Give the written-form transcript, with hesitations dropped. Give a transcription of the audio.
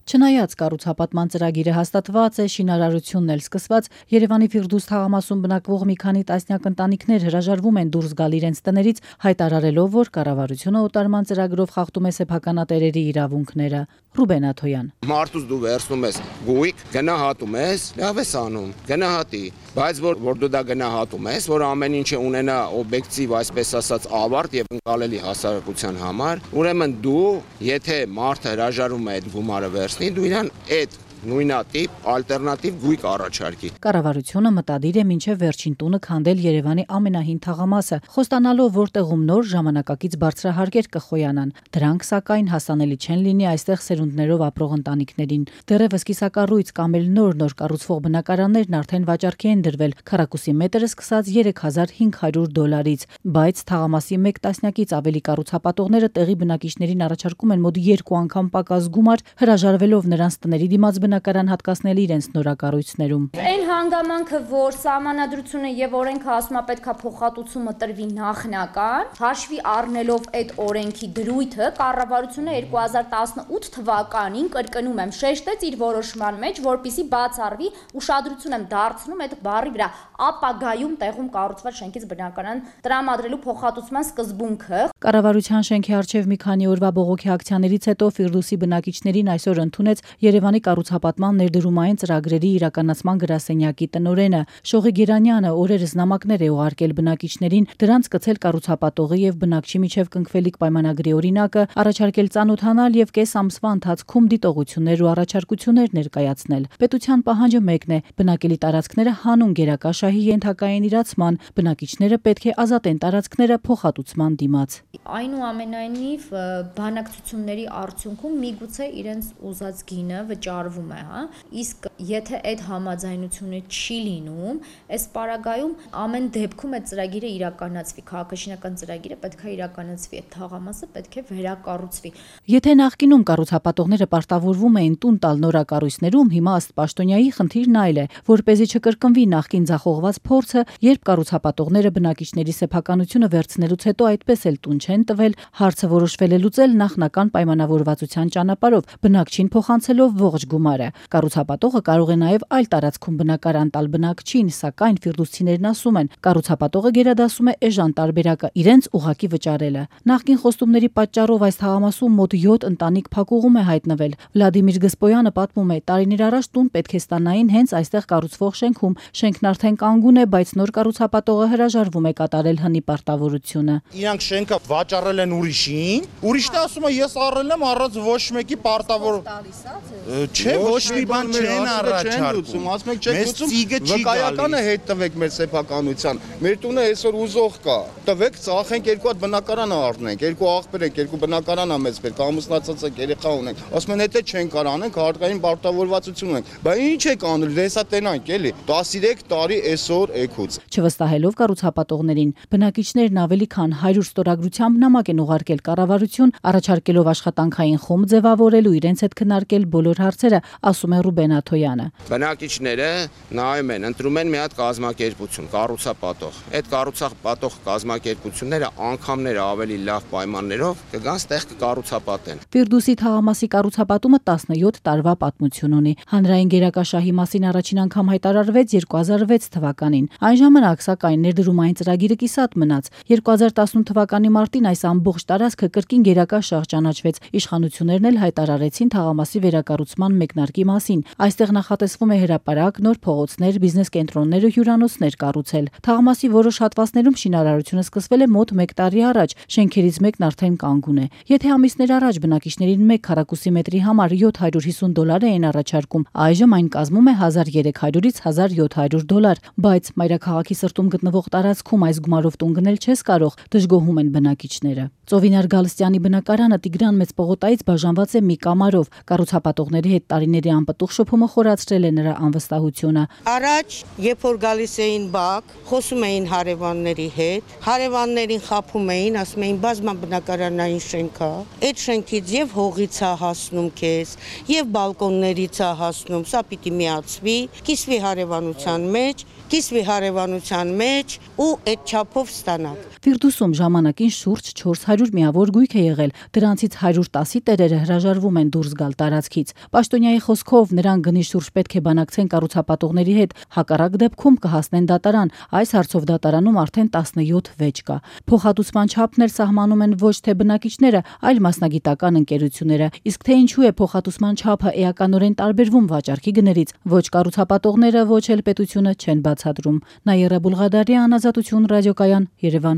Չնայած կառուցապատման ծրագիրը հաստատված է, շինարարությունն էլ սկսված, Երևանի Ֆիրդուս թաղամասում բնակվող մի քանի տասնյակ ընտանիքներ հրաժարվում են դուրս գալ իրենց տներից, հայտարարելով, որ կառավարությունը օտարման ծրագրով խախտում է սեփականատերերի իրավունքները։ Ռուբեն Աթոյան. Մարդուց դու վերցնում ես գույք, գնահատում ես, լավ ես անում, գնահատի, բայց որ դու դա գնահատում ես, որ ամեն ինչը ունենա օբյեկտիվ, այսպես ասած, ավարտ եւ ընկալելի հասարակության համար, ուրեմն դու, եթե մարդը հրաժարվում է այդ գումարը վերցնի, դու իրան այդ նույնատիպ ալտերնատիվ գույք առաջարկի։ Կառավարությունը մտադիր է մինչև վերջին տունը քանդել Երևանի ամենահին թաղամասը, խոստանալով, որտեղում նոր ժամանակակից բարձրահարկեր կխոյանան։ Դրանք, սակայն, հասանելի չեն լինի այստեղ սերունդներով ապրող ընտանիքներին։ Դեռևս կիսակառույց կամ էլ նոր կառուցվող բնակարաններն արդեն վաճառքի են դրվել, քառակուսի մետրը սկսած $3500, բայց թաղամասի մեկ տասնյակից ավելի կառուցապատողները տեղի բնակիչներին առաջարկում են մոտ 2 անգամ պակաս գումար, հրաժարվելով նրանց տների դիմաց բնակարան հատկացնել իրենց նորակառույցներում։ Այն հանգամանքը, որ սահմանադրությունը եւ օրենքը ասում է պետքա փոխհատուցումը տրվի նախնական, հաշվի առնելով այդ օրենքի դրույթը, կառավարությունը 2018 թվականին, կրկնում եմ, շեշտեց իր որոշման մեջ, որպիսի բացառվի, ուշադրություն եմ դարձնում այդ բառի վրա, ապագայում տեղում կառուցված շենքից բնակարան տրամադրելու փոխհատուցման սկզբունքը։ Կառավարության շենքի առջև մի քանի օրվա բողոքի ակցիաներից հետո Ֆիրդուսի բնակիչներին այսօր ընդունեց Երևանի կառուցապատման ներդրումային ծրագրերի իրականացման գրասենյակի տնօրենը Շողի Գերանյանը օրերս նամակներ է ուղարկել բնակիչներին, դրանց կցել կառուցապատողի եւ բնակչի միջև կնքվելիք պայմանագրի օրինակը, առաջարկել ծանոթանալ եւ կես ամսվա ընթացքում դիտողություններ ու առաջարկություններ ներկայացնել։ Պետության պահանջը մեկն է՝ բնակելի տարածքները հանուն գերակաշահի ենթակային իրացման, բնակիչները պետք է ազատեն տարածքները փոխհատուցման դիմաց։ Այնուամենայնիվ բանակցությունների արդյունքում միգուցե իրենց ուզած գինը վճարվում է, հա։ Իսկ եթե այդ համաձայնությունը չի լինում, այս պարագայում ամեն դեպքում այդ ծրագիրը իրականացվի, քաղաքաշինական ծրագիրը պետք է իրականացվի, այդ թաղամասը պետք է վերակառուցվի։ Եթե նախկինում կառուցապատողները պարտավորվում էին տուն տալ նորակառույցներում, հիմա ըստ պաշտոնյայի խնդիրն այլ է, որպեսզի չկրկնվի նախկին ձախողված փորձը, երբ կառուցապատողները բնակիչների սեփականությունը վերցնելուց հետո այդպես էլ տուն չեն տվել, հարցը որոշվել է լուծել նախնական պայմանավորվածության ճանապարհով, բնակչին փոխանցելով ողջ գումարը։ Կառուցապատողը կարող է նաև այլ տարածքում բնակարան տալ բնակչին, սակայն ֆիրդուսցիներն ասում են, կառուցապատողը գերադասում է էժան տարբերակը իրենց ուղակի վճարելը։ Նախկին խոստումների պատճառով այս թաղամասում մոտ 7 ընտանիք փակուղում է հայտնվել։ Վլադիմիր Գսպոյանը պատմում է, տարիներ առաջ տուն պետք է ստանային հենց այստեղ կառուցվող շենքում։ Շենքն արդեն կանգուն է, բայց նոր կառուցապատողը հրաժարվում է կատարել հնի պարտավորությունը։ Իրանք շենքը վաճառել են ուրիշին, ուրիշն ասում է ես առել եմ առանց ոչ մեկի պարտավոր։ Չէ, ոչ մի բան չեն առաջարկում, ասում եք չեք լուծում, վկայականը հետ տվեք մեր սեփականության, մեր տունը այսօր ուզող կա, տվեք, ծախենք 2 հատ բնակարան առնենք, 2 աղբեր ենք, 2 բնակարան ա մեծ պետք, ամուսնացած եք, երեխա ունենք, ասում են եթե չենք կարող անենք, հարկային պարտավորվածություն ունենք, բայց ինչ եք անում, դեսա տենանք էլի, 13 տարի այսօր էքուց։ Չվստահելով կառուցապատողներին, բնակիչներն ավելի քան 100 ստորագրությամբ նամակ են ուղարկել կառավարություն, առաջարկելով աշխատանքային խումբ ձևավորելու իրենց հետ քննարկել բոլոր հարցերը, ասում է Ռուբեն Աթոյանը։ Բնակիչները նայում են, ընտրում են մի հատ կազմակերպություն, կառուցապատող։ Այդ կառուցապատող կազմակերպությունները անգամներ ավելի լավ պայմաններով կգան ստեղ կկառուցապատեն։ Ֆիրդուսի թաղամասի կառուցապատումը 17 տարվա պատմություն ունի։ Հանրային գերակաշահի մասին առաջին անգամ հայտարարվեց 2006 թվականին։ Այն ժամանակ, սակայն, ներդրումային ծրագիրը կիսատ մնաց։ 2018 թվականի մարտին այս ամբողջ տարածքը կրկին գերակաշահ ճանաչվեց։ Իշխանություններն էլ հայտարարեցին թաղամասի վերակառուցման մեկնարկի մասին։ Այստեղ նախատեսվում է հրապարակ, նոր փողոցներ, բիզնես կենտրոններ ու հյուրանոցներ կառուցել։ Թաղամասի որոշ հատվածներում շինարարությունը սկսվել է մոտ 1 տարի առաջ, շենքերից մեկն արդեն կանգուն է։ Եթե ամիսներ առաջ բնակիչներին 1 քառակուսի մետրի համար $750 էին առաջարկում, այժմ այն կազմում է $1300-ից $1700, բայց մայրաքաղաքի սրտում գտնվող տարածքում այս գումարով տուն գնել չես կարող, դժգոհում են բնակիչները։ Ծովինար Գալստյանի բնակարանը Տիգրան Մեծ պողոտայից բաժանված է մի կամարով։ Կառուցապատողների հետ տարիներ տարիների անպտուղ շփումը խորացրել է նրա անվստահությունը։ Առաջ, երբ որ գալիս էին բակ, խոսում էին հարևանների հետ, հարևաններին խաբում էին, ասում էին բազմաբնակարանային շենք է, այդ շենքից եւ հողից է հասնում քեզ, եւ բալկոններից է հասնում, սա պիտի միացվի, կիսվի հարևանության մեջ ու այդ չափով ստանաք։ Ֆիրդուսում ժամանակին շուրջ 400 միավոր գույք է եղել, դրանցից 110-ի տերերը հրաժարվում են դուրս գալ տարածքից։ Պաշտոնյայի խոսքով նրանք գնի շուրջ պետք է բանակցեն կառուցապատողների հետ, հակառակ դեպքում կհասնեն դատարան։ Այս հարցով դատարանում արդեն 17 վեճ կա։ Փոխհատուցման չափն էլ սահմանում են ոչ թե բնակիչները, այլ մասնագիտական ընկերությունները։ Իսկ թե ինչու է փոխհատուցման չափը էականորեն տարբերվում վաճառքի գներից, ոչ կառուցապատողները, ոչ էլ պետությունը չեն բացատրում։ Նայիրա Բուլղադարյան, Ազատություն ռադիոկայան, Երևան։